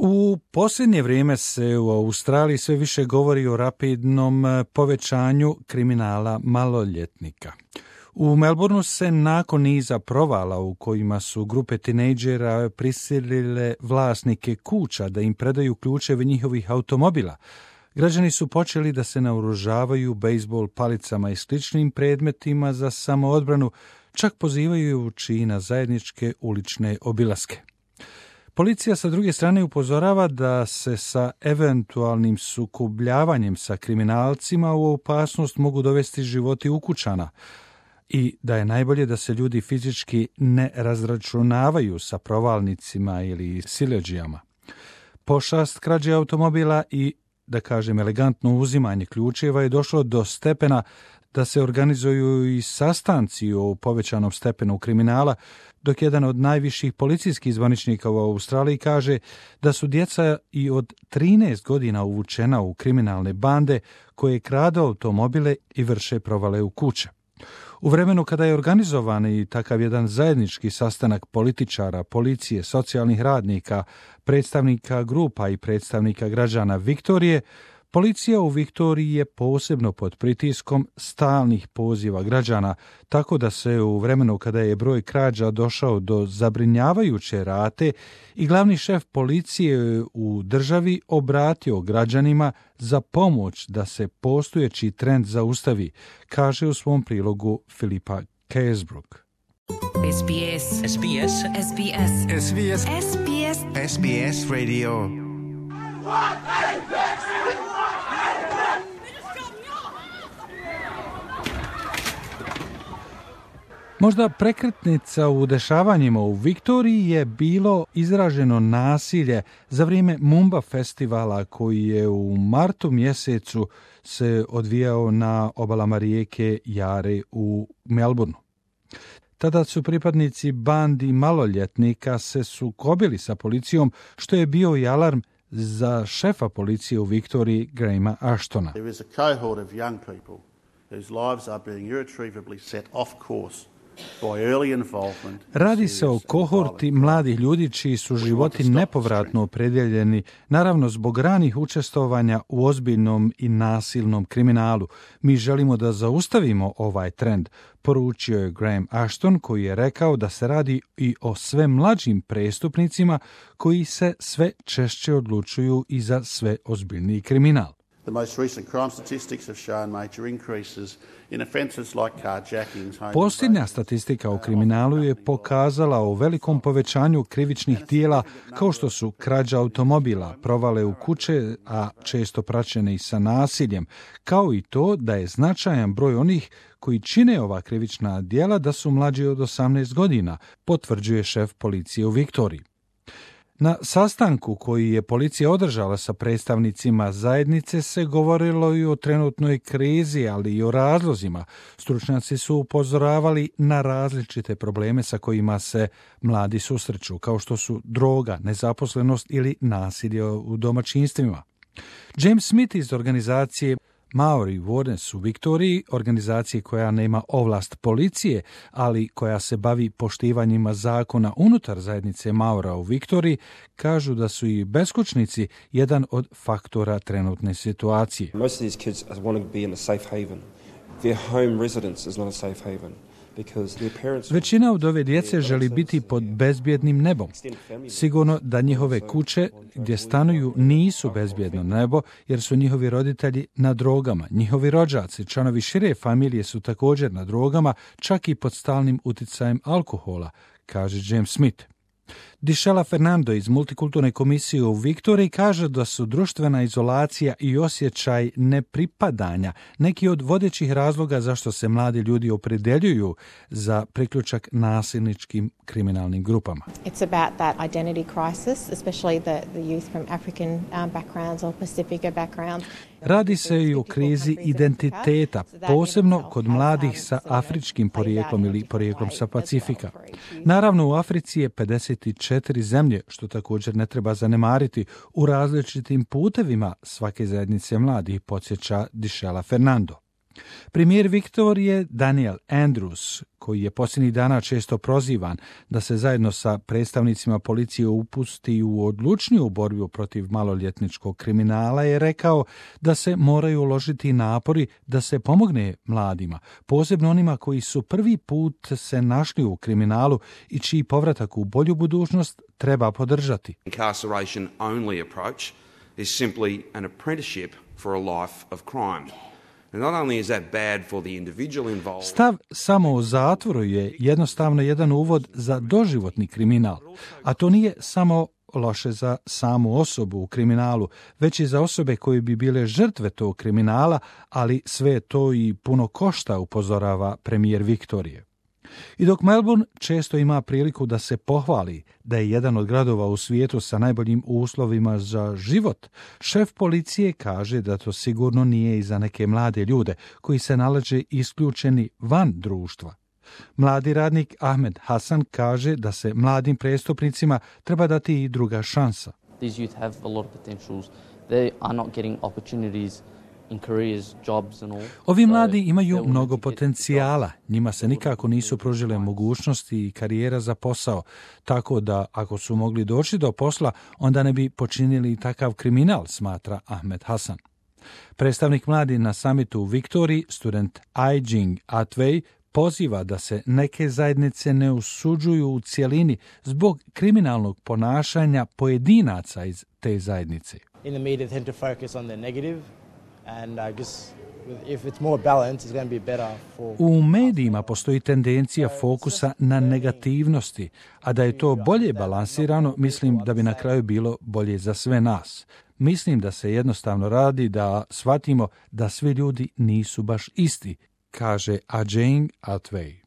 U posljednje vrijeme se u Australiji sve više govori o rapidnom povećanju kriminala maloljetnika. U Melbourneu se nakon niza provala u kojima su grupe tinejdžera prisilile vlasnike kuća da im predaju ključeve njihovih automobila, građani su počeli da se naoružavaju bejzbol palicama i sličnim predmetima za samoodbranu, čak pozivajući na zajedničke ulične obilaske. Policija sa druge strane upozorava da se sa eventualnim sukobljavanjem sa kriminalcima u opasnost mogu dovesti životi ukućana i da je najbolje da se ljudi fizički ne razračunavaju sa provalnicima ili siledžijama. Pošast krađe automobila i, da kažem, elegantno uzimanje ključeva je došlo do stepena da se organizuju i sastanci o povećanom stepenu kriminala, dok jedan od najviših policijskih zvaničnika u Australiji kaže da su djeca i od 13 godina uvučena u kriminalne bande koje kradu automobile i vrše provale u kuće. U vremenu kada je organizovan i takav jedan zajednički sastanak političara, policije, socijalnih radnika, predstavnika grupa i predstavnika građana Viktorije, policija u Viktoriji je posebno pod pritiskom stalnih poziva građana, tako da se u vremenu kada je broj krađa došao do zabrinjavajuće rate i glavni šef policije u državi obratio građanima za pomoć da se postojeći trend zaustavi, kaže u svom prilogu Filipa Kesbrook. SBS SBS SBS SBS SBS SBS Radio. Možda prekretnica u dešavanjima u Viktoriji je bilo izraženo nasilje za vrijeme Mumba festivala koji je u martu mjesecu se odvijao na obalama rijeke Jare u Melbourneu. Tada su pripadnici bandi maloljetnika se sukobili sa policijom, što je bio i alarm za šefa policije u Viktoriji, Grahama Ashtona. There is a cohort of young people whose lives are being irretrievably set off course. Radi se o kohorti mladih ljudi čiji su životi nepovratno opredjeljeni, naravno zbog ranih učestvovanja u ozbiljnom i nasilnom kriminalu. Mi želimo da zaustavimo ovaj trend, poručio je Graham Ashton, koji je rekao da se radi i o sve mlađim prestupnicima koji se sve češće odlučuju i za sve ozbiljniji kriminal. The most recent crime statistics have shown major increases in offences like carjackings. Posljednja statistika o kriminalu je pokazala o velikom povećanju krivičnih djela kao što su krađa automobila, provale u kuće, a često praćene i sa nasiljem, kao i to da je značajan broj onih koji čine ova krivična djela da su mlađi od 18 godina, potvrđuje šef policije u Viktoriji. Na sastanku koji je policija održala sa predstavnicima zajednice se govorilo i o trenutnoj krizi, ali i o razlozima. Stručnjaci su upozoravali na različite probleme sa kojima se mladi susreću, kao što su droga, nezaposlenost ili nasilje u domaćinstvima. James Smith iz organizacije Maori Wardens u Viktoriji, organizacije koja nema ovlast policije, ali koja se bavi poštivanjima zakona unutar zajednice Maora u Viktoriji, kažu da su i beskućnici jedan od faktora trenutne situacije. Most of these kids want to be in a safe haven. Their home residence is not a safe haven. Većina od ove djece želi biti pod bezbjednim nebom. Sigurno da njihove kuće gdje stanuju nisu bezbjedno nebo jer su njihovi roditelji na drogama. Njihovi rođaci, članovi šire familije su također na drogama, čak i pod stalnim uticajem alkohola, kaže James Smith. Dišela Fernando iz Multikulturne komisije u Viktoriji kaže da su društvena izolacija i osjećaj nepripadanja neki od vodećih razloga zašto se mladi ljudi opredjeljuju za priključak nasilničkim kriminalnim grupama. It's about that identity crisis, especially the youth from African backgrounds or Pacifica backgrounds. Radi se i o krizi identiteta, posebno kod mladih sa afričkim porijeklom ili porijeklom sa Pacifika. Naravno, u Africi je 54 zemlje, što također ne treba zanemariti, u različitim putevima svake zajednice mladih, podsjeća Dišela Fernando. Premijer Viktorije Daniel Andrews, koji je posljednjih dana često prozivan da se zajedno sa predstavnicima policije upusti u odlučniju borbu protiv maloljetničkog kriminala, je rekao da se moraju uložiti napori da se pomogne mladima, posebno onima koji su prvi put se našli u kriminalu i čiji povratak u bolju budućnost treba podržati. Incarceration only approach is simply an apprenticeship for a life of crime. Stav samo u zatvoru je jednostavno jedan uvod za doživotni kriminal, a to nije samo loše za samu osobu u kriminalu, već i za osobe koje bi bile žrtve tog kriminala, ali sve to i puno košta, upozorava premijer Viktorije. I dok Melbourne često ima priliku da se pohvali da je jedan od gradova u svijetu sa najboljim uslovima za život, šef policije kaže da to sigurno nije i za neke mlade ljude koji se nalaze isključeni van društva. Mladi radnik Ahmed Hasan kaže da se mladim prestupnicima treba dati i druga šansa. These youth have a lot of potentials. They are not getting opportunities. Ovi mladi imaju mnogo potencijala, njima se nikako nisu pružile mogućnosti i karijera za posao, tako da ako su mogli doći do posla, onda ne bi počinili takav kriminal, smatra Ahmed Hasan. Predstavnik mladi na samitu u Viktoriji, student Aijing Atway, poziva da se neke zajednice ne osuđuju u cjelini zbog kriminalnog ponašanja pojedinaca iz te zajednice. In the media tend to focus on the negative. And I guess if it's more balanced, it's going to be better for... U medijima postoji tendencija fokusa na negativnosti, a da je to bolje balansirano, mislim da bi na kraju bilo bolje za sve nas. Mislim da se jednostavno radi da shvatimo da svi ljudi nisu baš isti, kaže Aijing Atway.